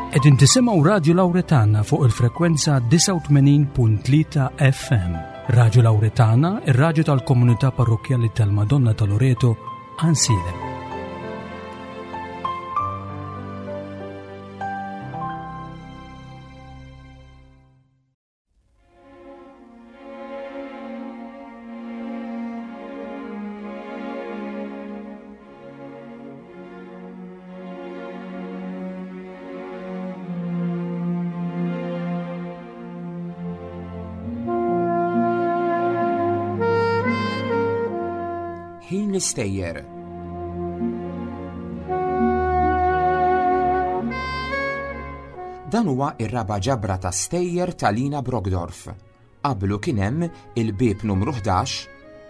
Qegħdin tisimgħu Radju Lawretana fuq il-frekwenza 89.3 FM. Radju Lawretana, ir-radju tal-komunità parrokkjali tal-Madonna ta' Loreto, Ansilem. Ħin l-istejjer. Dan huwa ir-raba' ġabra ta' stejjer ta' Lina Brogdorf. Qablu kien hemm Il-Bieb Numru 11,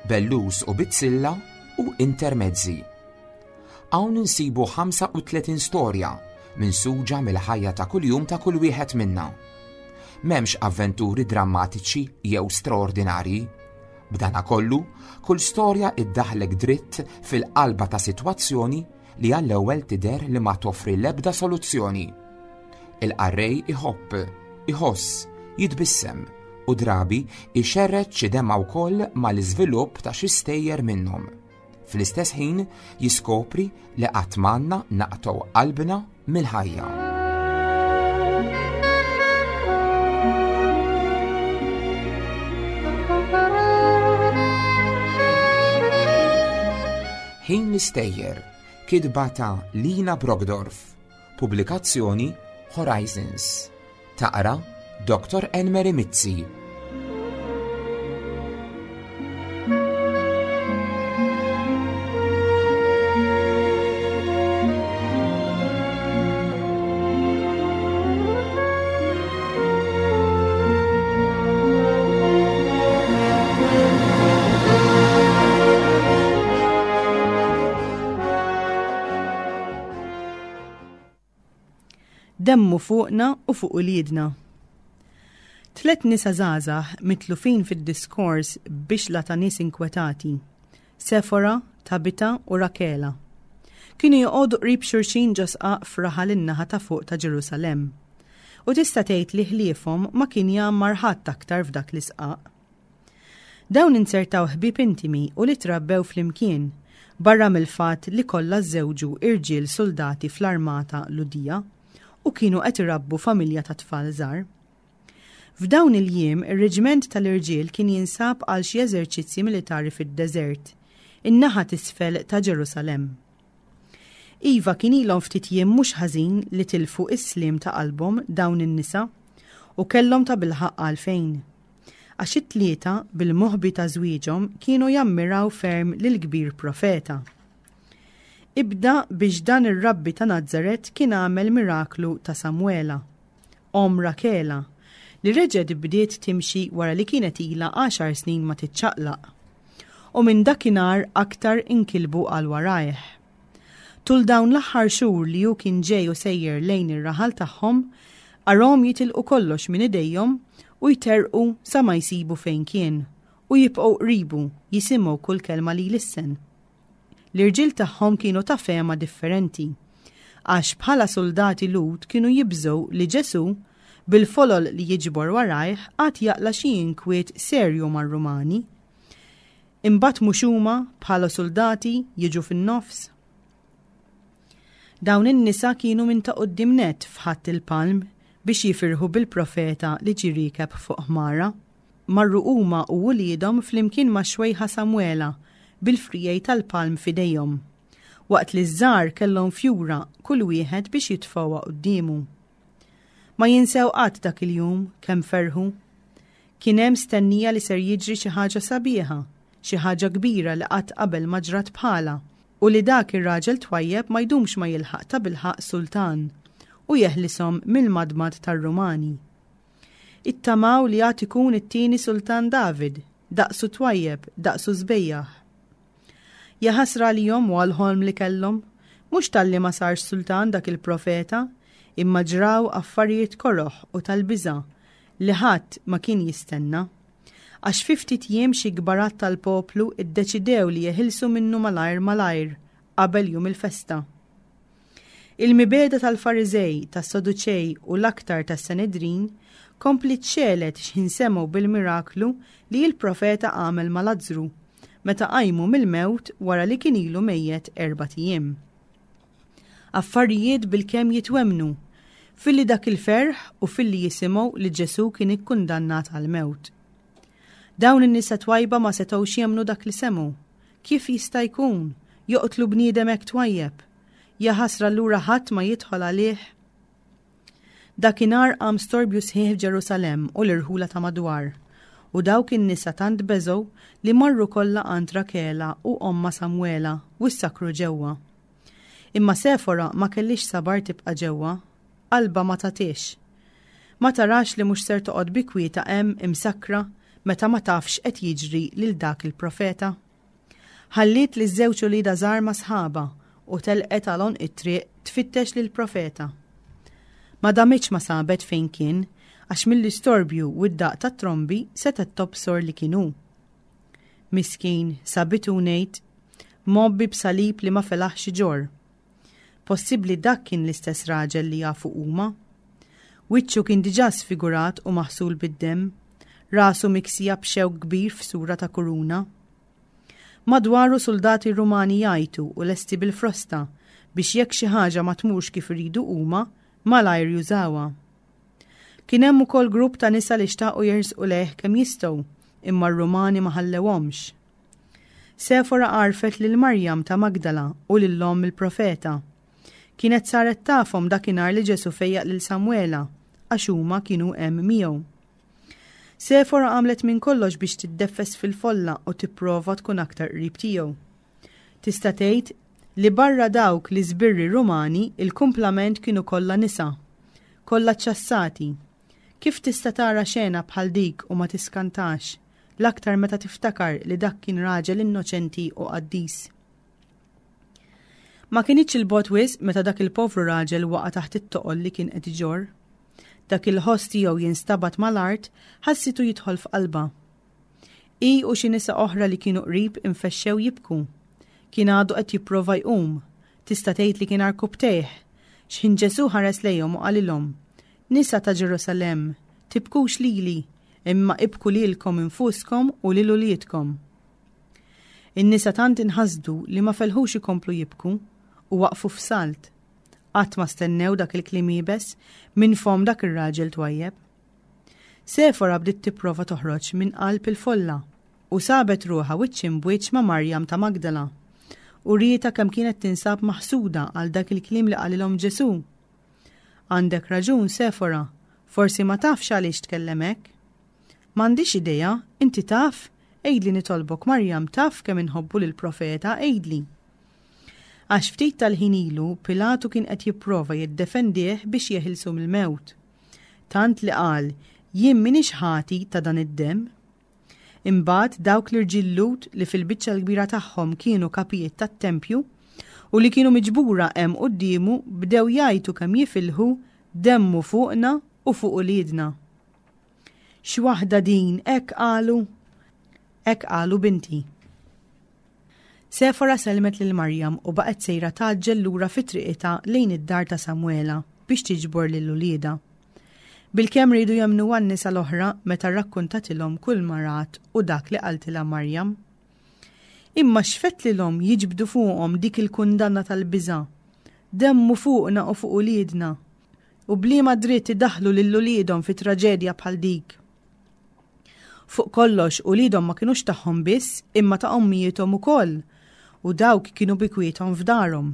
Bellus u Bizzilla u Intermezzi. Hawn insibu 35 storja minsuġa mill-ħajja ta' kuljum ta' kull wieħed minna. M'hemmx avventuri drammatiċi jew straordinarji. B'danakollu, kull storja iddaħħlek dritt fil-qalba ta' sitwazzjoni li għall-ewwel tidher li ma toffri l-ebda soluzzjoni. Il-qarrej iħobb, iħoss, jitbissem u drabi ixerred xi demgħa wkoll mal-iżvilupp ta' xi stejjer minnhom. Fl-istess ħin jiskopri li qatt m'għandna naqtgħu qalbna mill-ħajja. Ħin l-Istejjer, kitba ta' Lina Brogdorf, pubblikazzjoni Horizons. Taqra Dr. Enmeri Mizzi. Demmu fuqna u fuq uliedna. Tlet nisa żgħażagħ mitlufin fid-diskors b'bixla ta' nies inkwetati, Sefora, Tabita u Rakela. Kienu joqogħdu qrib xulxin ġo sqaq f'raħal in-naħa ta' fuq ta' Ġerusalemm. U tista' tgħid li ħliefhom ma kien jgħammar ħadd aktar f'dak l-isqaq. Dawn inzertaw ħbieb intimi u li trabbew flimkien, barra mill-fatt li kollha żżewġu irġiel suldati fl-armata Lhudija u kienu qed irabbu familja ta' tfal żgħar. F'dawn il-jiem ir-reġiment tal-irġiel kien jinsab għal xi eżerċizzji militari fid-deżert, in-naħa t'isfel ta' Ġerusalemm. Iva kien ilhom ftit jiem mhux ħażin li tilfu s-sliem ta' qalbhom dawn in-nisa, u kellhom tabilħaqq għalfejn. Għax it-tlieta, bil-moħbi ta' żwieġhom, kienu jammiraw ferm lill-kbir profeta. Ibda biex dan ir-rabbi ta' Nazaret kien għamel miraklu ta' Samwela, omm Rakela, li reġgħet bdiet timxi wara li kienet ilha għaxar snin ma tiċċaqlaq. U minn dakinhar aktar inkilbu għal warajh. Tul dawn l-aħħar xhur li hu kien ġej u sejjer lejn ir-raħal tagħhom, arahom jitilqu kollox minn idejhom u jterrqu sa ma jsibu fejn kien, u jibqgħu qribu jisimgħu kull kelma li jlissen. L-irġiel tagħhom kienu ta' fehma differenti, għax bħala suldati Lhud kienu jibżgħu li Ġesù, bil-folol li jiġbor warajh, għad jaqla' xi inkwiet serju mar-Rumani. Imbagħad mhux huma, bħala suldati, jiġu fin-nofs? Dawn in-nisa kienu minn ta' quddiem nett f'Ħadd il-Palm biex jifirħu bil-profeta li ġie riekeb fuq ħmara. Marru huma u uliedhom flimkien max-xwejħa Samwela bil-friegħi tal-palm f'idejhom, waqt li ż-żgħar kellhom fjura kull wieħed biex jitfgħuha quddiemu. Ma jinsew qatt dak il-jum kemm ferħu. Kien hemm stennija li ser jiġri xi ħaġa sabiħa, xi ħaġa kbira li qatt qabel ma ġrat bħalha, u li dak ir-raġel twajjeb ma jdumx ma jilħaq tabilħaqq sultan, u jeħlishom mill-madmad tar-Rumani. Ittamaw li għad ikun it-tieni Sultan David, daqsu twajjeb, daqsu sbejjaħ. Jaħasra għalihom u għall-ħolm li kellhom, mhux talli ma sarx sultan dak il-profeta, imma ġraw affarijiet koroh u tal-biża' li ħadd ma kien jistenna. Għax fi ftit jiem xi kbarat tal-poplu ddeċidew li jeħilsu minnu malajr malajr qabel jum il-festa. Il-mibegħda tal-Fariżej, tas-Saduċej u l-aktar tas-Sanedrin kompliet xegħlet x'ħin semgħu bil-miraklu li l-profeta għamel ma' Lazzru, meta qajmu mill-mewt wara li kien ilu mejjet erbat ijiem. Affarijiet bilkemm jitwemmnu, filli dak il-ferħ u filli jisimgħu li Ġesù kien ikkundannat għall-mewt. Dawn in-nisa twajba ma setgħux jemmnu dak li semgħu. Kif jista' jkun? Joqtlu bniedem hekk twajjeb? Jaħasra allura ħadd ma jidħol għalih? Dakinhar qam storbju sħiħ f'Ġerusalemm u l-irħula ta' madwar. U dawk in-nisa tant beżgħu li marru kollha għand Rakela u ommha Samwela u ssakru ġewwa. Imma Sefora ma kellhiex sabar tibqa' ġewwa. Qalbha ma tagħtihx. Ma tarax li mhux ser toqgħod bi kwietha hemm imsakkra meta ma tafx x'qed jiġri lil dak il-profeta? Ħalliet liż-żewġ uliedha żgħar ma' sħabha u telqet għal għonq it-triq tfittex lill-profeta. Ma damitx ma sabet fejn kien għax mill-istorbju u d-daqq tat-trombi setgħet tobsor li kien hu. Miskin, sabitu ngħid, mgħobbi b'salib li ma felaħx iġorr. Possibbli dak kien l-istess raġel li jafu huma? Wiċċu kien diġà sfigurat u maħsul bid-demm, rasu miksija b'xewk kbir f'sura ta' kuruna. Madwaru suldati Rumani jgħajtu u lesti bil-frosta biex jekk xi ħaġa ma tmurx kif iridu huma, malajr jużawha. Kien hemm ukoll grupp ta' nisa li xtaqu jersqu lejh kemm jistgħu, imma r-Rumani ma ħallewhomx. Sefora għarfet lil Marjam ta' Magdala u lil omm il-profeta. Kienet saret tafhom dakinhar li Ġesù fejjaq lil Samwela, għax huma kienu hemm miegħu. Sefora għamlet minn kollox biex tiddeffes fil-folla u tipprova tkun aktar qrib tiegħu. Tista' tgħid li barra dawk l-iżbirri Rumani, il-kumplament kienu kollha nisa, kollha ċċassati. Kif tista' tara xena bħal dik u ma tiskantax? l-aktar meta tiftakar li dak kien raġel innoċenti u qaddis. Ma kinitx 'il bogħod wisq meta dak il-povru raġel waqa' taħt it-toqol li kien qed iġorr. Dak il-ħoss tiegħu jinstabat mal-art ħassitu jidħol f'qalbha. Hi u xi nisa oħra li kienu qrib infexxew jibku. Kien għadu qed jipprova jqum. Tista' tgħid li kien għarkupptejh. X'ħin Ġesù ħares lejhom u qalilhom, Nisa ta' Ġerusalemm, tibkux lili, imma ibku lilkom infuskom u lil uliedkom. In-nisa tant inħasdu li ma felħux ikomplu jibku u waqfu f'salt. Qatt ma stennew dak il-kliem iebes minn fomm dak ir-raġel twajjeb. Sefora bdiet tipprova toħroġ minn qalb il-folla u sabet ruħha wiċċ imbwiċċ ma' Marjam ta' Magdala. U rietha kemm kienet tinsab maħsuda għal dak il-kliem li qalilhom Ġesù. Għandek raġun, Sefora, forsi ma tafx għaliex tkellem hekk. M'għandix idea, inti taf? Għidli nitolbok, Marjam, taf kemm inħobbu lill-profeta, għidli. Għax ftit tal-ħin ilu Pilatu kien qed jipprova jiddefendih biex jeħilsu mill-mewt. Tant li qal, jien m'iniex ħati ta' dan id-demm. Imbagħad dawk l-irġiel Lhud li fil-biċċa l-kbira tagħhom kienu kapijiet tat-tempju u li kienu miġbura hemm quddiemu bdew jgħajtu kemm jifilħu, Demmu fuqna u fuq uliedna. X'waħda din, hekk qalu? Hekk qalu binti. Sefora sellmet lil Marjam u baqgħet sejra tgħaġġel lura fi triqitha lejn id-dar ta' Samwela biex tiġbor lil uliedha. Bilkemm riedu jemmnuha n-nisa l-oħra meta rrakkuntatilhom kulma rat u dak li qaltilha Marjam. Imma x'fettlilhom jiġbdu fuqhom dik il-kundanna tal-biża'? Demmu fuqna u fuq uliedna! U b'liema dritt idaħħlu lil uliedhom fi traġedja bħal dik? Fuq kollox, uliedhom ma kinux tagħhom biss, imma ta' ommijiethom ukoll, u dawk kienu bi kwiethom f'darhom.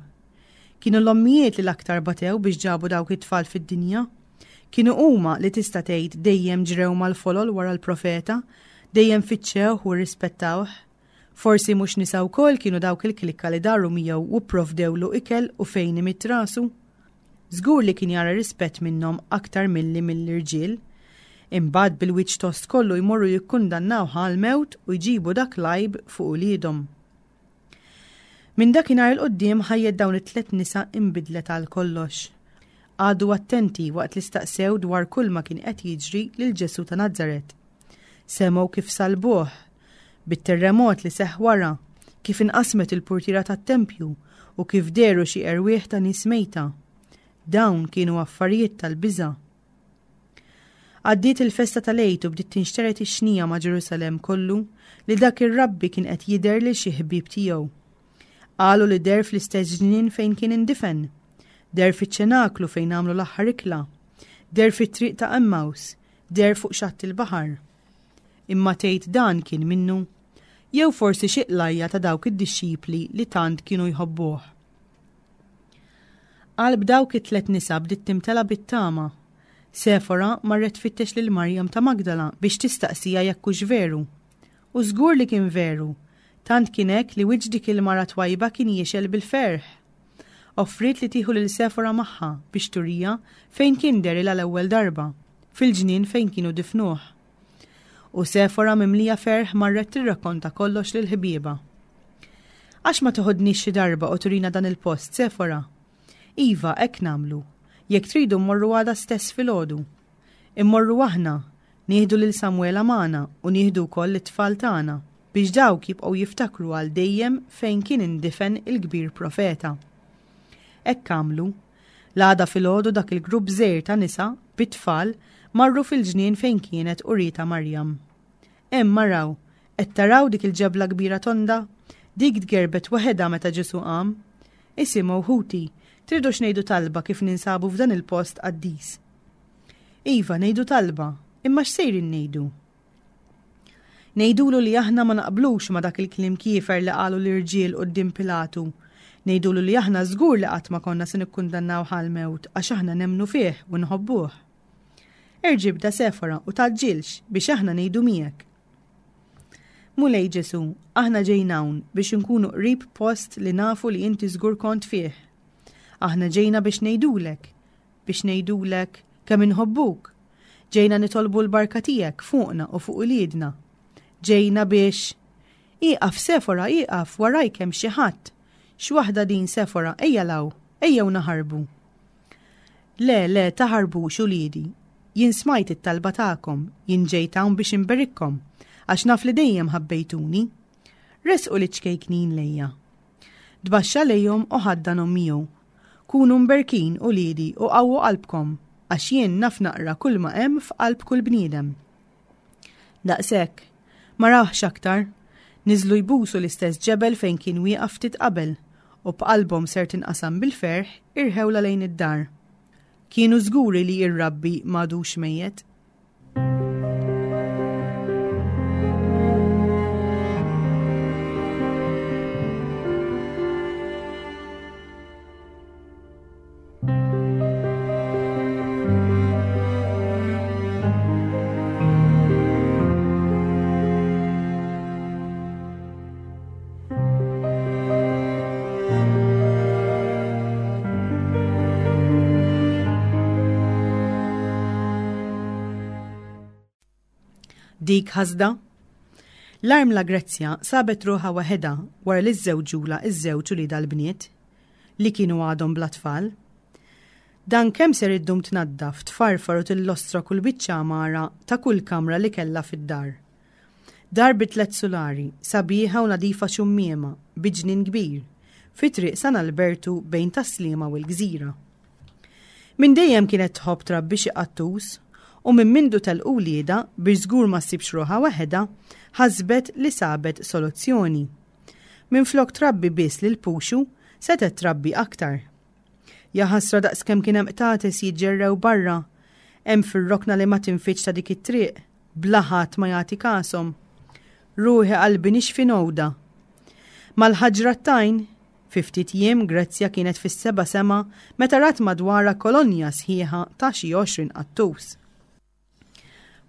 Kienu l-ommijiet li l-aktar batew biex ġabu dawk it-tfal fid-dinja. Kienu huma li tista' tgħid dejjem ġrew mal-folol wara l-profeta, dejjem fittxewh u rrispettawh. Forsi mhux nisa wkoll kienu dawk il-klikka li daru miegħu u pprovdewlu ikel u fejn imidd rasu? Żgur li kien jara rispett minnhom aktar milli mill-irġiel. Imbagħad bil-wiċċ tost kollu jmorru jikkundannawh għall-mewt u jġibu dak l-għajb fuq uliedhom. Minn dakinhar 'il quddiem ħajjet dawn it-tlett nisa inbidlet għal kollox. Qagħdu attenti waqt li staqsew dwar kulma kien qed jiġri lil Ġesù ta' Nazaret. Semgħu kif salbuh, bit-terremot li seħħ wara, kif inqasmet il-purtiera tat-tempju u kif dehru xi erwieħ ta' nies mejta. Dawn kienu affarijiet tal-biża'. Għaddiet il-festa tal-Għid u bdiet tinxtered ix-xnija ma' Ġerusalemm kollu li dak ir-rabbi kien qed jidher lil xi ħbieb tiegħu. Qalu li deher fl-istess ġnien fejn kien indifen. Deher fiċ-ċenaklu fejn għamlu l-aħħar ikla. Deher fit-triq ta' Emmaus. Deher fuq xatt il-baħar. Imma tgħid dan kien minnu? Jew forsi xi qlajja ta' dawk id-dixxipli li tant kienu jħobbuh? Qalb dawk it-tlet nisa bdiet timtela bit-tama. Sefora marret tfittex lil Marjam ta' Magdala biex tistaqsiha jekk hux veru. U żgur li kien veru! Tant kien hekk li wiċċ dik il-mara twajba kien jixgħel bil-ferħ. Offriet li tieħu lil Sefora magħha biex turiha fejn kien derilha l-ewwel darba, fil-ġnien fejn kienu difnuh. U Sefora mimlija ferħ marret tirrakkonta kollox lil ħbiebha. Għax ma toħodniex xi darba u turina dan il-post, Sefora? Iva, hekk nagħmlu. Jekk tridu mmorru għada stess filgħodu. Immorru aħna, nieħdu lil Samuela magħna u nieħdu wkoll lit-tfal tagħna, biex dawk jibqgħu jiftakru għal dejjem fejn kien indifen il-kbir profeta. Hekk għamlu. L-għada filgħodu dak il-grupp żgħir ta' nisa, bit-tfal, marru fil-ġnien fejn kienet urietha Marjam. Hemm araw, qed taraw dik il-ġebla kbira tonda? Dik tgerbet waħedha meta Ġesù qam. Isimgħu, ħuti, tridux ngħidu talba kif ninsabu f'dan il-post qaddis? Iva, ngħidu talba, imma x'sejrin ngħidu? Ngħidulu li aħna ma naqblux ma' dak il-kliem kiefer li qalu l-irġiel quddiem Pilatu. Ngħidulu li aħna żgur li qatt ma konna se nikkundannawh għall-mewt għax aħna nemmnu fih u nħobbuh. Erġa' ibda Sefora u tgħaġġilx biex aħna ngħidu miegħek. Mulej Ġesù, aħna ġejna hawn biex inkunu qrib post li nafu li inti żgur kont fih. Aħna ġejna biex ngħidulek, biex ngħidulek kemm inħobbuk. Ġejna nitolbu l-barka tiegħek fuqna u fuq uliedna. Ġejna biex Ieqaf Sefora, ieqaf, warajk hemm xi ħadd. X'waħda din Sefora, ejja 'l hawn, ejjew naħarbu. Le, le, taħarbux uliedi. Jien smajt it-talba tagħkom, jien ġejt hawn biex inberikkom, għax naf li dejjem ħabbejtuni. Ressqu liċ-ċkejknin lejja. Tbaxxa lejhom u ħaddanhom miegħu. Kunu mberkin, uliedi, u qawwu qalbkom, għax jien naf naqra kulma hemm f'qalb kull bniedem. Daqshekk. Ma rawhx aktar. Niżlu jbusu l-istess ġebel fejn kien wieqaf ftit qabel, u b'qalbhom ser tinqasam bil-ferħ, irħewlha lejn id-dar. Kienu żguri li r-Rabbi m'għadux mejjet. Dik ħasda? L-armla Grezzja sabet ruħha waħedha wara li żżewġulha ż-żewġ uliedha l-bniet, li kienu għadhom bla tfal. Dan kemm ser iddum tnaddaf, tfarfar u tillostra kull biċċa għamara ta' kull kamra li kellha fid-dar. Dar bi tlett sulari, sabiħa u nadifa xummiema, bi ġnien kbir, fi Triq San Albertu bejn Tas-Sliema u l-Gżira. Minn dejjem kienet tħobb trabbi xi qattus u minn mindu telqu wliedha biex żgur ma ssibx ruħha waħedha, ħasbet li sabet soluzzjoni. Minflok trabbi biss lil Puxu, setgħet trabbi aktar. Jaħasra daqskemm kien hemm qtates jiġġerrew barra, hemm fir-rokna li ma tinfidx ta' dik it-triq, bla ħadd ma jagħti kashom. Ruħi qalbi nixfi nowda. Mal-ħaġra t-tajn, fi ftit jiem Grezzja kienet fis-seba' sema meta rat madwarha kolonja sħiħa ta' xi 20 qattus.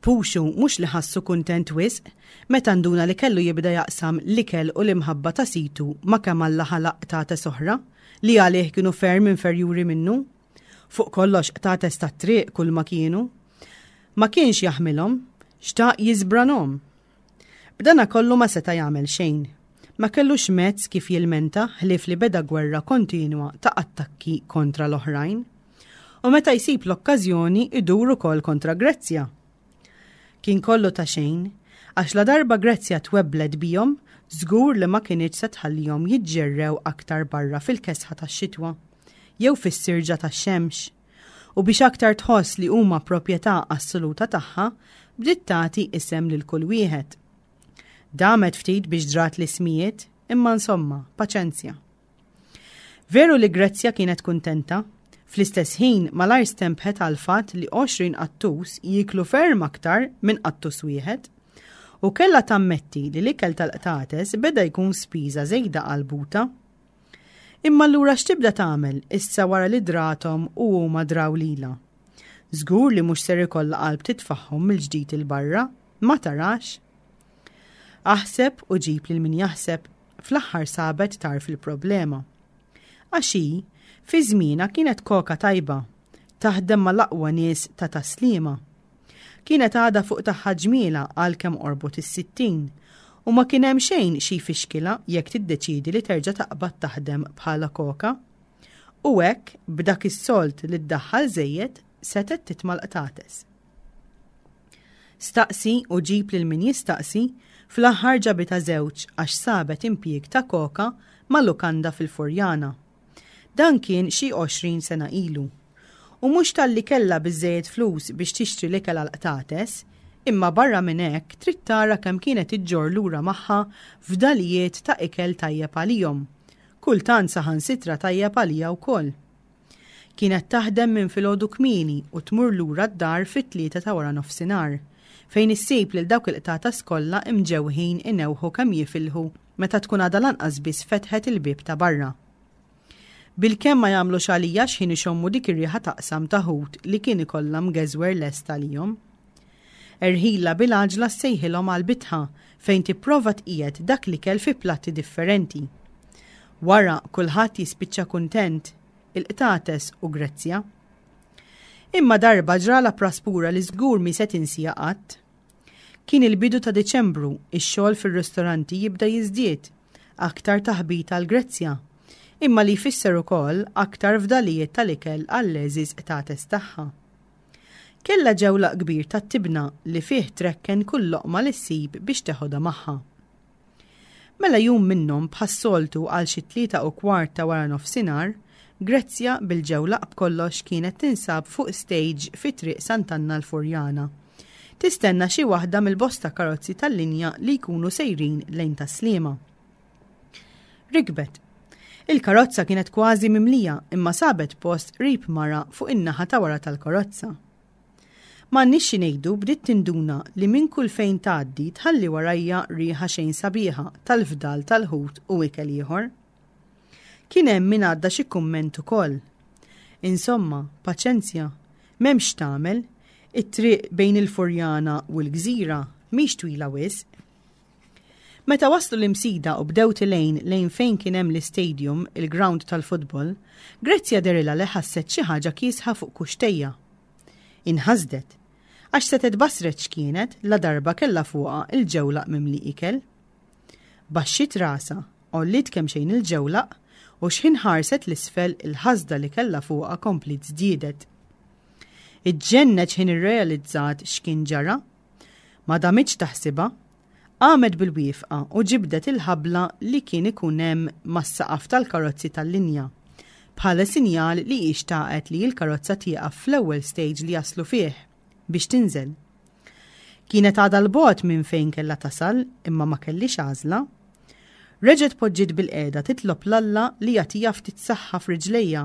Puxu mhux li ħassu kuntent wisq meta nduna li kellu jibda jaqsam l-ikel u l-imħabba ta' situ ma' kemm Alla ħalaq qtates oħra li għalih kienu ferm inferjuri minnu. Fuq kollox qtates tat-triq kulma kienu. Ma kienx jaħmilhom, xtaq jiżbranhom. B'dana kollu ma seta' jagħmel xejn. Ma kellux mezz kif jilmenta ħlief li beda gwerra kontinwa ta' attakki kontra l-oħrajn. U meta jsib l-okkażjoni idur ukoll kontra Grezzja. Kien kollu ta' xejn, għax ladarba Grezzja twebblet bihom, żgur li ma kinitx se tħallihom jiġġerrew aktar barra fil-kesħa tax-xitwa. jew fis-sirġa tax-xemx. U biex aktar tħoss li huma proprjetà assoluta tagħha, bdiet tagħti isem lil kull wieħed. Damet ftit biex drat l-ismijiet, imma insomma, paċenzja. Veru li Grezzja kienet kuntenta, fl-istess ħin malajr stempħet għall-fatt li 20 qattus jieklu ferm aktar minn qattus wieħed. U kellha tammetti li l-ikel tal-qtates beda jkun spiża żejda għal butha. Imma allura x'tibda tagħmel issa wara li drathom u huma draw lilha? Żgur li mhux ser ikollha qalb titfagħhom mill-ġdid 'il barra, ma tarax? Aħseb u ġib lil min jaħseb, fl-aħħar sabet tarf il-problema. Għax hi, fi żmienha kienet koka tajba, taħdem mal-aqwa nies ta' Tas-Sliema. Kienet għadha fuq tagħha ġmielha għalkemm qorbot is-60 u ma kien hemm xejn xi jfixkilha jekk tiddeċiedi li terġa' taqbad taħdem bħala koka. U hekk, b'dak is-sold li ddaħħal żejjed, setgħet titma' l-qtates. Staqsi u ġib lil min jistaqsi, fl-aħħar ġabitha żewġ għax sabet impjieg ta' koka ma' lukanda fil-Furjana. Dan kien xi 20 sena ilu. U mhux talli kellha biżżejjed flus biex tixtri l-ikel għall-qtates, imma barra minn hekk trid tara kemm kienet iġġorr lura magħha fdalijiet ta' ikel tajjeb għalihom, kultant saħansitra tajjeb għaliha wkoll. Kienet taħdem minn filgħodu kmieni u tmur lura d-dar fit-tlieta ta' waranofsinhar, fejn issib lil dawk il-qtates kollha imġewħin inewħu kemm jifilħu meta tkun għadha lanqas biss fetħet il-bieb ta' barra. Bilkemm ma jagħmlux għalija x'ħin ixommu dik ir-riħa taqsam ta' ħut li kien ikollha mgeżwer lest għalihom. Erħilha bil-għaġla ssejħilhom għall-bitħa fejn tipprova tqiegħed dak l-ikel fi platti differenti. Wara kulħadd jispiċċa kuntent, il-qtates u Grezzja. Imma darba ġralha praspura li żgur mhi se tinsieha qatt. Kien il-bidu ta' Diċembru, ix-xogħol fir-ristoranti jibda jiżdied, aktar taħbit għal Grezzja, imma li jfisser ukoll aktar fdalijiet tal-ikel għall-għeżież qtates tagħha. Kellha ġewlaq kbir tat-tibna li fih trekken kull loqma li ssib biex teħodha magħha. Mela jum minnhom bħas-soltu għal xi 3:15 ta' wara nofsinhar, Grezzja bil-ġewlaq b'kollox kienet tinsab fuq stage fi Triq Sant'Anna l-Furjana. Tistenna xi waħda mill-bosta karozzi tal-linja li jkunu sejrin lejn Tas-Sliema. Rikbet. Il-karozza kienet kważi mimlija imma sabet post qrib mara fuq in-naħa ta' wara tal-karozza. M'għandniex xi ngħidu bdiet tinduna li minn kull fejn tgħaddi tħalli warajha riħa xejn sabiħa tal-fdal tal-ħut u ikel ieħor. Kien hemm min għadda xi kumment ukoll. Insomma, paċenzja, m'hemmx x'tagħmel, it-triq bejn il-Furjana u l-Gżira mhix twila wisq. Meta waslu l-Imsida u bdew tilgħin lejn fejn kien hemm l-istadium, il-ground tal-futbol, Grezzja dehrilha li ħasset xi ħaġa kiesħa fuq kuxtejha. Inħasdet. Għax setgħet basret x'kienet ladarba kellha fuqha l-ġewlaq mimli ikel. Baxxiet rasha, għolliet kemxejn il-ġewlaq u x'ħin ħarset 'l isfel il-ħasda li kellha fuqha kompliet żdiedet. Iġġennet x'ħin irrealizzat x'kien ġara. Ma damitx taħsibha. Qamet bil-wieqfa u ġibdet il-ħabla li kien ikun hemm mas-saqaf tal-karozzi tal-linja, bħala sinjal li hi xtaqet li l-karozza tieqaf fl-ewwel stage li jaslu fih, biex tinżel. Kienet għadha 'l bogħod minn fejn kellha tasal imma ma kellhiex għażla. Reġgħet poġġiet bilqiegħda titlob 'l Alla li jagħtiha ftit saħħa f'riġlejha,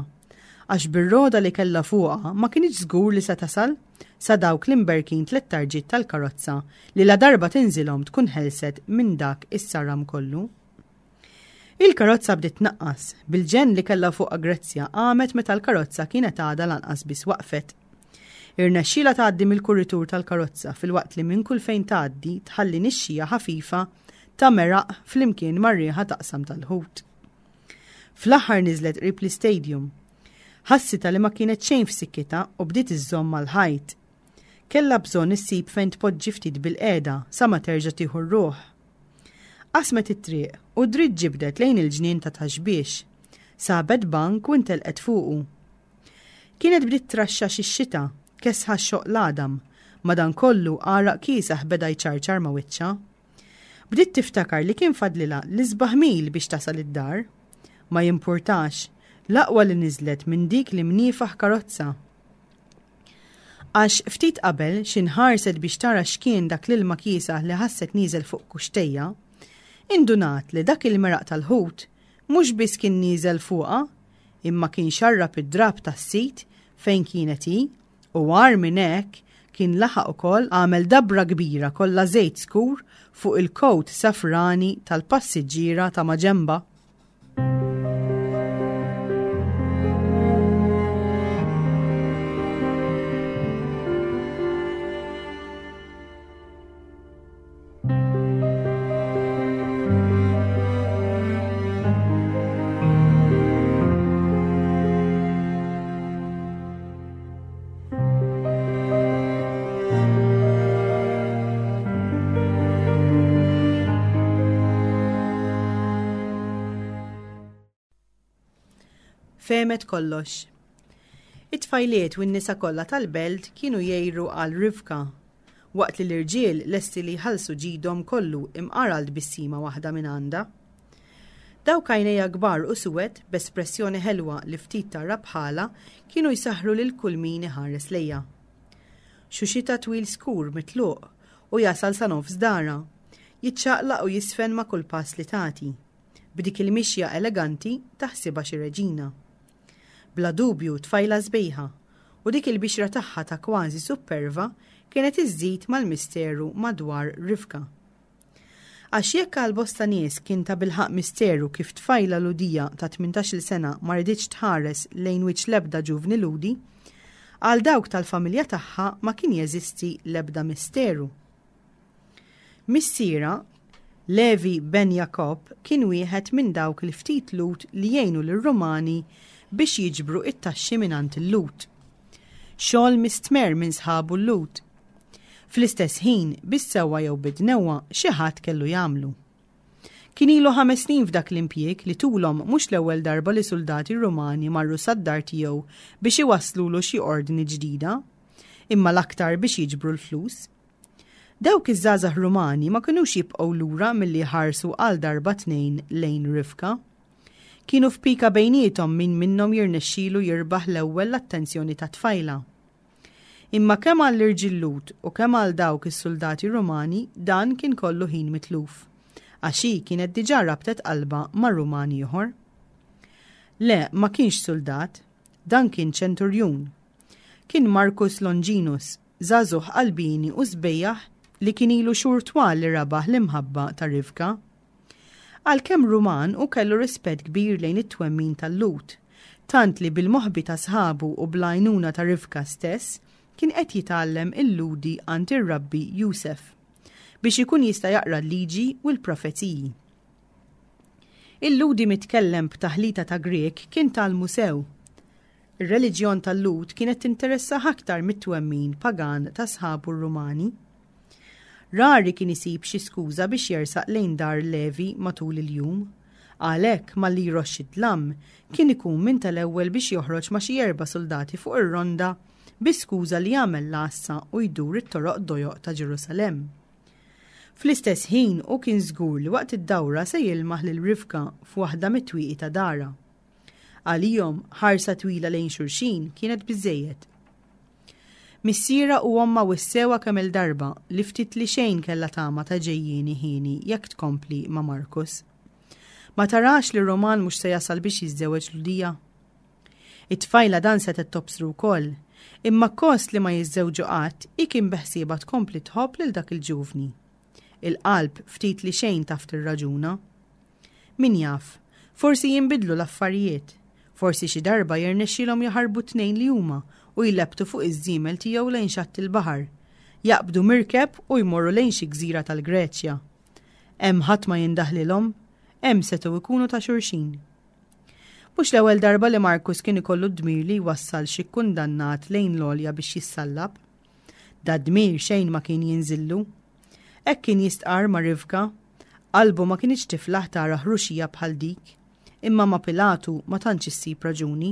għax bir-rogħda li kellha fuqha ma kinitx żgur li se tasal sa dawk l-imberkin tlettarġiet tal-karozza li ladarba tinżilhom tkun ħelset minn dak is-saram kollu. Il-karozza bdiet tnaqqas, bil-ġenn li kellha fuqha Grezzja qamet meta l-karozza kienet għadha lanqas biss waqfet. Irnexxielha tgħaddi mill-kuritur tal-karozza filwaqt li minn kull fejn tgħaddi tħalli nixxija ħafifa ta' meraq flimkien mar-riħa taqsam tal-ħut. Fl-aħħar niżlet qrib l-istadium. Ħassitha li ma kienet xejn f'sikkitha u bdiet iżżomm mal-ħajt. Kellha bżonn issib fejn tpoġġi ftit bilqiegħda sa ma terġa' tieħu r-ruħ. Qasmet it-triq u dritt ġibdet lejn il-ġnien ta' Ta' Xbiex. Sabet bank u ntelqet fuqu. Kienet bdiet traxxax ix-xita, kesħa x-xoqq l-għadam, madankollu għaraq kiesaħ beda jċarċar ma' wiċċha. Bdiet tiftakar li kien fadlilha l-isbaħ mil biex tasal id-dar. Ma jimpurtax. L-aqwa li niżlet minn dik l-imniefaħ karozza. Għax ftit qabel xi nħarset biex tara x'kien dak l-ilma kiesaħ li ħasset nieżel fuq kuxtejja, indunat li dak il-meraq tal-ħut mhux biss kien nieżel fuqha, imma kien xarrab id-drapp tas-sit fejn kienet hi u agħar minn hekk kien laħaq ukoll għamel dabra kbira kollha żejt skur fuq il-kowt safrani tal-passiġġiera ta' maġenbha. Fehmet kollox. It-tfajliet u n-nisa kollha tal-belt kienu jgħiru għal Rivka, waqt li l-irġiel lesti li jħallsu ġidhom kollu imqar għal tbissima waħda minn għandha. Dawk għajnejha kbar u suwed, b'espressjoni ħelwa li ftit tara bħalha, kienu jsaħħru lil kull min iħares lejha. Xuxitha twil skur mitluq u jasal sa nofs darha, jiċċaqlaq u jiżfen ma' kull pass li tagħti. B'dik il-mixja eleganti taħsibha xi reġina. Bla dubju tfajla sbejħa, u dik il-bixra tagħha ta' kważi supperva kienet iżżid mal-misteru madwar Rivka. Għax jekk għal bosta nies kien tabilħaqq misteru kif tfajla Lhudija ta' tmintax-il sena ma riditx tħares lejn wiċċ l-ebda ġuvni Lhudi, għal dawk tal-familja tagħha ma kien jeżisti l-ebda misteru. Missierha, Levi ben Jakob, kien wieħed minn dawk il-ftit Lhud li jgħinu lir-Rumani biex jiġbru t-taxxi mingħand il-Lhud. Xogħol mistmerr minn sħabu l-Lhud. Fl-istess ħin, bis-sewwa jew bid-dnewwa, xi ħadd kellu jagħmlu. Kien ilu ħames snin f'dak l-impjieg li tulhom mhux l-ewwel darba li suldati Rumani marru sad-dar tiegħu biex iwasslulu xi ordni ġdida, imma l-aktar biex jiġbru l-flus. Dawk iż-żgħażagħ Rumani ma kinux jibqgħu lura milli jħarsu għal darba tnejn lejn Rivka. Kienu f'pika bejniethom min minnhom jirnexxilu jirbaħ l-ewwel l-attenzjoni tat-tfajla. Imma kemm għall-irġiel Lhud u kemm għal dawk is-suldati Rumani dan kien kollu ħin mitluf, għax hi kienet diġà rabtet qalbha ma' Ruman ieħor. Le, ma kienx suldat, dan kien ċenturjun. Kien Marcus Longinus, żagħżugħ qalbieni u sbejjaħ li kien ilu xhur twal li rabaħ l-imħabba ta' Rivka. Għalkemm Ruman hu kellu rispett kbir lejn it-twemmin tal-Lhud, tant li bil-moħbi ta' sħabu u bl-għajnuna ta' Rivka stess kien qed jitgħallem il-Lhudi għand ir-Rabbi Jusef, biex ikun jista' jaqra l-Liġi u l-profeziji. Il-Lhudi mitkellem b'taħlita ta' Grieg kien tgħallmu sew. Ir-reliġjon tal-Lhud kienet tinteressah aktar mit-twemmin pagan ta' sħabu r-Rumani. Rari kien isib xi skuża biex jersaq lejn dar Levi matul il-jum. Għalhekk, malli jroxx id-dlam, kien ikun minn tal-ewwel biex joħroġ ma' xi erba' suldati fuq ir-ronda bi skuża li jagħmel l-għassa u jdur it-toroq dojoq ta' Ġerusalemm. Fl-istess ħin, hu kien żgur li waqt id-dawra se jilmaħ lil Rivka f'waħda mit-twieqi ta' darha. Għalihom, ħarsa twila lejn xulxin kienet biżżejjed. Missierha u ommha wissewha kemm-il darba li ftit li xejn kellha tama ta' ġejjieni hieni jekk tkompli ma' Marcus. Ma tarax li Roman mhux se jasal biex jiżżewweġ Lhudija? It-tfajla dan setgħet tobsru wkoll, imma akkost li ma jiżżewġu qatt, hi kien beħsiebha tkompli tħobb lil dak il-ġuvni. Il-qalb ftit li xejn taf tirraġuna. Min jaf, forsi jinbidlu l-affarijiet. Forsi xi darba jirnexxielhom jaħarbu t-tnejn li huma u jlebbtu fuq iż-żiemel tiegħu lejn xatt il-baħar. Jaqbdu mirkeb u jmorru lejn xi gżira tal-Greċja. Hemm ħadd ma jindaħlilhom, hemm setgħu jkunu ta' xulxin. Mhux l-ewwel darba li Marcus kien ikollu d-dmir li jwassal xi kkundannat lejn l-għolja biex jissallab. Dad-dmir xejn ma kien jinżillu. Hekk kien jistqarr ma' Rivka. Qalbu ma kinitx tiflaħ tara ħruxija bħal dik. Imma ma' Pilatu ma tantx issib raġuni.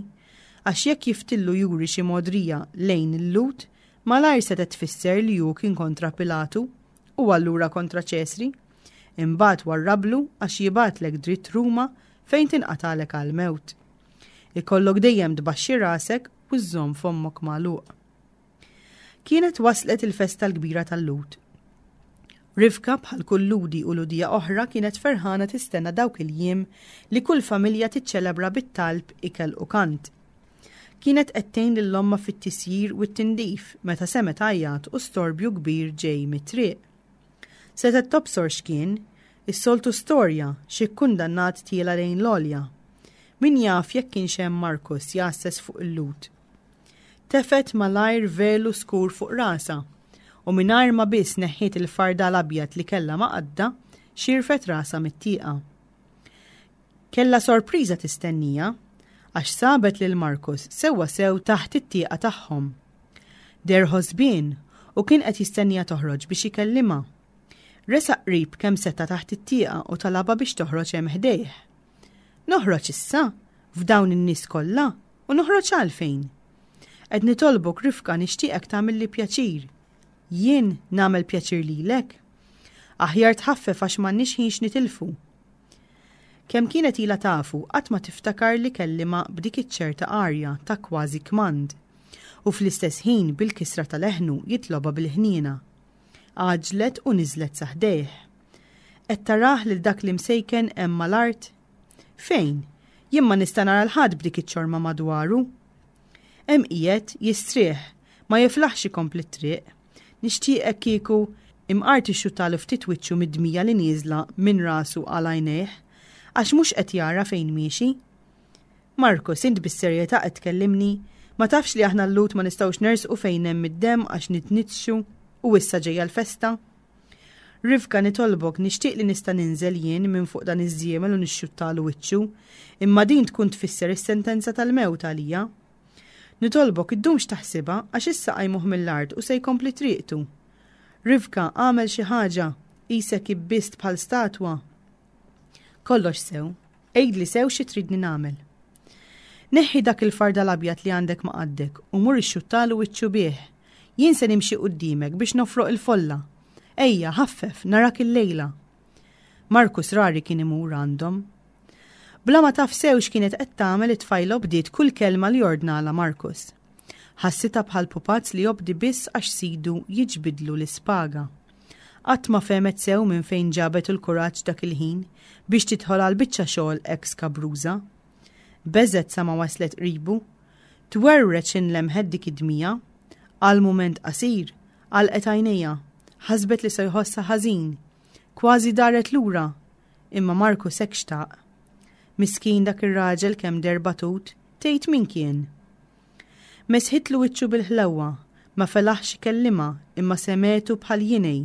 Għax jekk jiftillu juri xi mogħdrija lejn il-Lhud, malajr setgħet tfisser li hu kien kontra Pilatu, u allura kontra Ċesri. Imbagħad warrablu għax jibgħatlek dritt Ruma fejn tinqatagħlek għall-mewt. Ikollok dejjem tbaxxi rasek u żżomm fommok magħluq. Kienet waslet il-festa l-kbira tal-Lhud. Rivka bħal kull Lhudi u Lhudija oħra kienet ferħana tistenna dawk il-jiem li kull familja tiċċelebra bit-talb, ikel u kant. Kienet qed tgħin lil ommha fit-tisjir u t-tindif meta semgħet għajjat u storbju kbir ġej mit-triq. Setgħet tobsor x'kien, is-soltu storja, xi kkundannat tiela' lejn l-għolja. Min jaf jekk kienx hemm Markus jgħasses fuq il-Lhud. Tefgħet malajr velu skur fuq rasha, u mingħajr ma biss neħħiet il-fardal abjad li kellha ma' qaddha, xirfet rasha mit-tieqa. Kellha sorpriża tistennija, għax sabet lil Marcus sewwa sew taħt it-tieqa tagħhom. Deher ħosbien u kien qed jistenniha toħroġ biex ikellimha. Resaq qrib kemm seta' taħt it-tieqa u talabha biex toħroġ hemm ħdejh. Noħroġ issa? F'dawn in-nies kollha? U noħroġ għalfejn? Qed nitolbok Rifka nixtieqek tagħmilli pjaċir. Jien nagħmel pjaċir lilek? Aħjar tħaffef għax m'għandniex ħin x'nitilfu. Kemm kienet ilha tafu qatt ma tiftakar li kellimha b'dik iċ-ċerta arja ta' kważi kmand. U fl-istess ħin bil-kisra ta' leħnu jitlobha bil-ħniena. Għaġġlet u niżlet sa ħdejh. Qed tarah lil dak l-imsejken hemm mal-art? Fejn? Jien ma nista' nara 'l ħadd b'dik iċ-ċorma madwaru. Hemm qiegħed, jistrieħ, ma jiflaħx ikompli t-triq. Nixtieqek kieku imqar tixxuttalu ftit wiċċu mid-dmija li nieżla minn rasu għal għajnejh, għax mhux qed jara fejn miexi. Marcus, int bis-serjetà qed tkellimni? Ma tafx li aħna l-Lhud ma nistgħux nersqu fejn hemm id-demm għax nitniġġsu u issa ġejja l-festa? Rivka, nitolbok, nixtieq li nista' ninżel jien minn fuq dan iż-żiemel u nixxuttalu wiċċu, imma din tkun tfisser is-sentenza tal-mewt għalija. Nitolbok, iddumx taħsibha, għax issa qajmuh mill-art u se jkompli triqtu. Rivka, agħmel xi ħaġa, qisek ibbist bħal statwa. Kollox sew. Għidli sew xi tridni nagħmel. Neħħi dak il-fardal abjad li għandek ma' qaddek u mur ixxuttalu wiċċu bih. Jien se nimxi quddiemek biex nofroq il-folla. Ejja, ħaffef, narak illejla. Markus rari kien imur għandhom. Bla ma taf sew x'kienet qed tagħmel it-tfajla obdiet kull kelma li ordnalha Markus. Ħassitha bħal pupazz li jobdi biss għax sidu jiġbidlu l-ispaga. Qatt ma fehmet sew minn fejn ġabet il-kuraġġ dak il-ħin biex tidħol għal biċċa xogħol hekk skabruża. Beżgħet sa ma waslet qribu. Twerwret x'in lemħet dik id-dmija. Għal mument qasir, għalqet għajnejha. Ħasbet li se jħossha ħażin. Kważi daret lura. Imma Marcus hekk xtaq. Miskin dak ir-raġel kemm deher batut, tgħid min kien? Mesħitlu wiċċu bil-ħlewwa, ma felaħx ikellimha imma semgħetu bħal jingħi,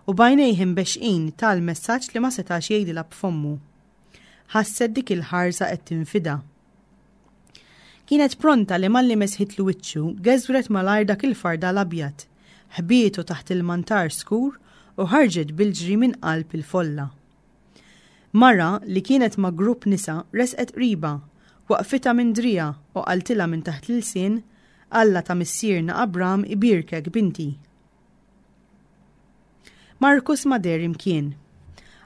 u b'għajnejh imbexxqin ta l-messaġġ li ma setax jgħidilha b'fommu. Ħasset dik il-ħarsa qed tinfidha. Kienet pronta li malli mesħitlu wiċċu, geżwret malajr dak il-fardal abjad, ħbietu taħt il-mantar skur u ħarġet bil-ġri minn qalb il-folla. Mara li kienet ma' grupp nisa resqet qribha, waqqfitha minn driegħha u qaltilha minn taħt l-ilsien, Alla ta' missierna Abram ibierkek, binti. Markus ma deher imkien.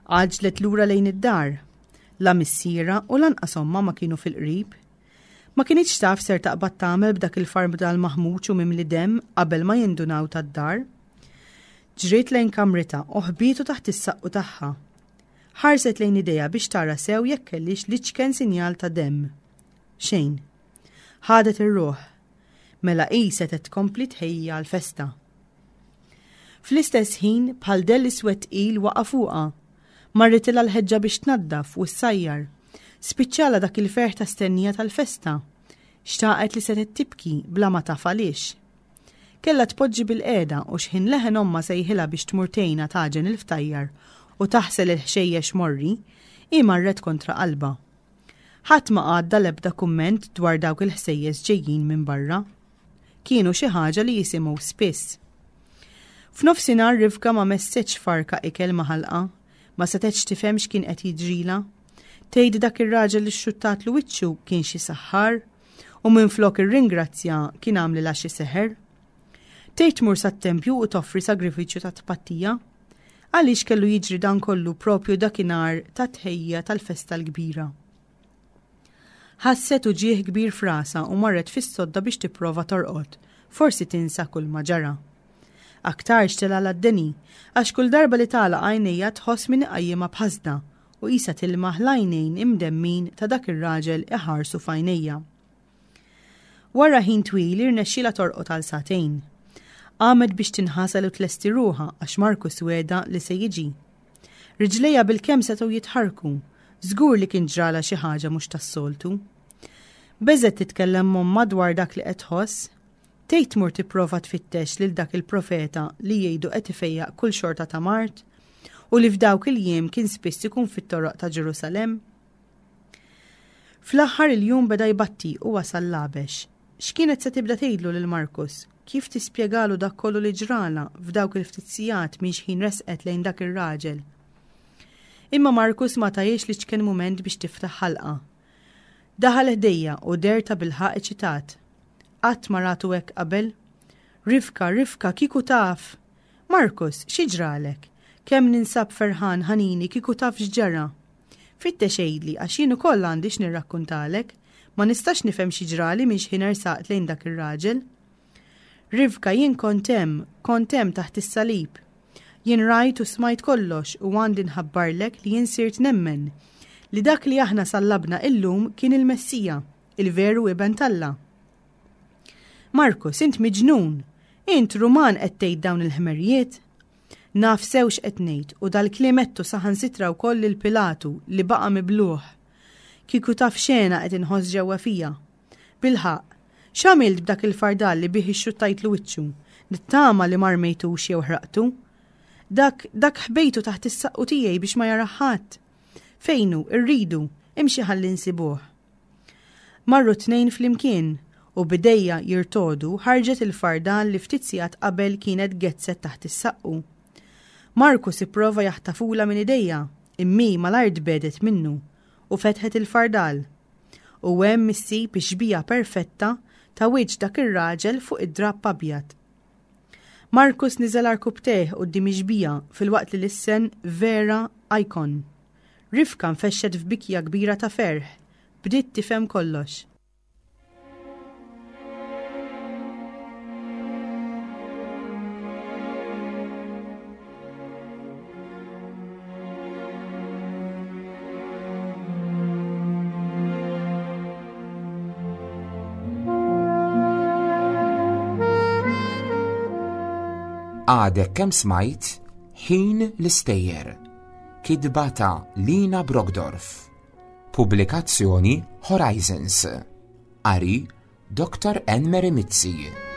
Għaġġlet lura lejn id-dar. La missierha u lanqas ommha ma kienu fil-qrib. Ma kinitx taf ser taqbad tagħmel b'dak il-fardal maħmuġ u mimli demm qabel ma jindunaw tad-dar. Ġriet lejn kamritha u ħbietu taħt is-saqqu tagħha. Ħarset lejn idejha biex tara sew jekk kellhiex l-iċken sinjal ta' demm. Xejn. Ħadet ir-ruħ. Mela hi setgħet tkompli tħejji għall-festa. Fl-istess ħin bħal dell iswed tqil waqa' fuqha. Marritilha l-ħeġġa biex tnaddaf u ssajjar. Spiċċalha dak il-ferħ ta' stennija tal-festa. Xtaqet li setgħet tibki bla ma taf għaliex. Kellha tpoġġi bilqiegħda u x'ħin leħen ommha sejħilha biex tmur tgħinha tagħġen il-ftajjar u taħsel il-ħxejjex morri, hi marret kontra qalbha. Ħadd ma għadda l-ebda kumment dwar dawk il-ħsejjes ġejjin minn barra. Kienu xi ħaġa li jisimgħu spiss. F'nofsinhar Rivka ma messetx farka ikel ma' ħalqha. Ma setgħetx tifhem x'kien qed jiġrilha. Tgħid dak ir-raġel li xxuttatlu wiċċu kien xi saħħar? U minflok irringrazzja kien għamlilha xi seħer? Tgħid tmur sat-tempju u toffri sagrifiċċju ta' tpattija? Għaliex kellu jiġri dan kollu propju dakinhar tat-tħejjija tal-festa l-kbira? Ħasset uġigħ kbir f'rasha u marret fis-sodda biex tipprova torqod, forsi tinsa kulma ġara. Aktarx telgħalha d-deni, għax kull darba li tagħlaq għajnejha tħoss min iqajjimha b'ħasda u qisha tilmaħ l-għajnejn imdemmin ta' dak ir-raġel iħarsu f'għajnejha. Wara ħin twil irnexxielha torqod għal sagħtejn. Qamet biex tinħasel u tlesti ruħha għax Marcus wegħda li se jiġi. Riġlejha bilkemm setgħu jitħarrku. Żgur li kien ġralha xi ħaġa mhux tas-soltu. Beżgħet titkellem m'ommha dwar dak li qed tħoss. Tgħid tmur tipprova tfittex lil dak il-profeta li jgħidu qed ifejjaq kull xorta ta' mard u li f'dawk il-jiem kien spiss ikun fit-toroq ta' Ġerusalemm? Fl-aħħar il-jum beda jbatti u wasal l-għabex. X'kienet se tibda tgħidlu lil Markus? Kif tispjegalu dak kollu li ġralha f'dawk il-ftit sigħat minn xħin resqet lejn dak ir-raġel? Imma Markus ma tahiex l-iċken mument biex tiftaħ ħalqha. Daħal ħdejja u deher tabilħaqq eċitat. Qatt ma ratu hekk qabel. Rivka, Rivka, kieku taf! Markus, xi ġralek? Kemm ninsab ferħan, ħanini, kieku taf x'ġara! Fittex għidli, għax jien ukoll għandi x'nirrakkuntalek. Ma nistax nifhem xi ġrali minn x'ħin ersaqt lejn dak ir-raġel. Rivka, jien kont hemm, kont hemm taħt is-salib. Jien rajt u smajt kollox u għandi nħabbarlek li jien sirt nemmen li dak li aħna sallabna illum kien il-Messija, il-veru Iben t'Alla. Markus, int miġnun! Int Ruman qed tgħid dawn il-ħmerijiet? Naf sew x'qed ngħid u dal-kliem għedtu saħansitra wkoll lil Pilatu li baqa' mibluh. Kieku taf x'hena qed inħoss ġewwa fija. Bilħaqq, x'għamilt b'dak il-fardal li bih ixxuttajtlu wiċċu? Nittama li ma rmejtux jew ħraqtu. Dak, dak ħbejtu taħt is-saqqu tiegħi biex ma jarah ħadd. Fejn hu? Irridu. Imxi ħalli nsibuh. Marru t-tnejn flimkien, u b'idejha jirtogħdu ħarġet il-fardal li ftit sigħat qabel kienet gezzet taħt is-saqqu. Marcus ipprova jaħtafulha minn idejha, imma hi malajr tbiegħdet minnu u fetħet il-fardal. U hemm issib ix-xbieha perfetta ta' wiċċ dak ir-raġel fuq id-drapp abjad. Marcus niżel għarkupptejh quddiem ix-xbieha filwaqt li lissen Vera Icon. Rivka nfexxet f'bikja kbira ta' ferħ. Bdiet tifhem kollox. Għadek kemm smajt Ħin l-Istejjer Kitba ta' Lina Brockdorff. Pubblikazzjoni Horizons. Qari Dr. Anne Mary Mizzi.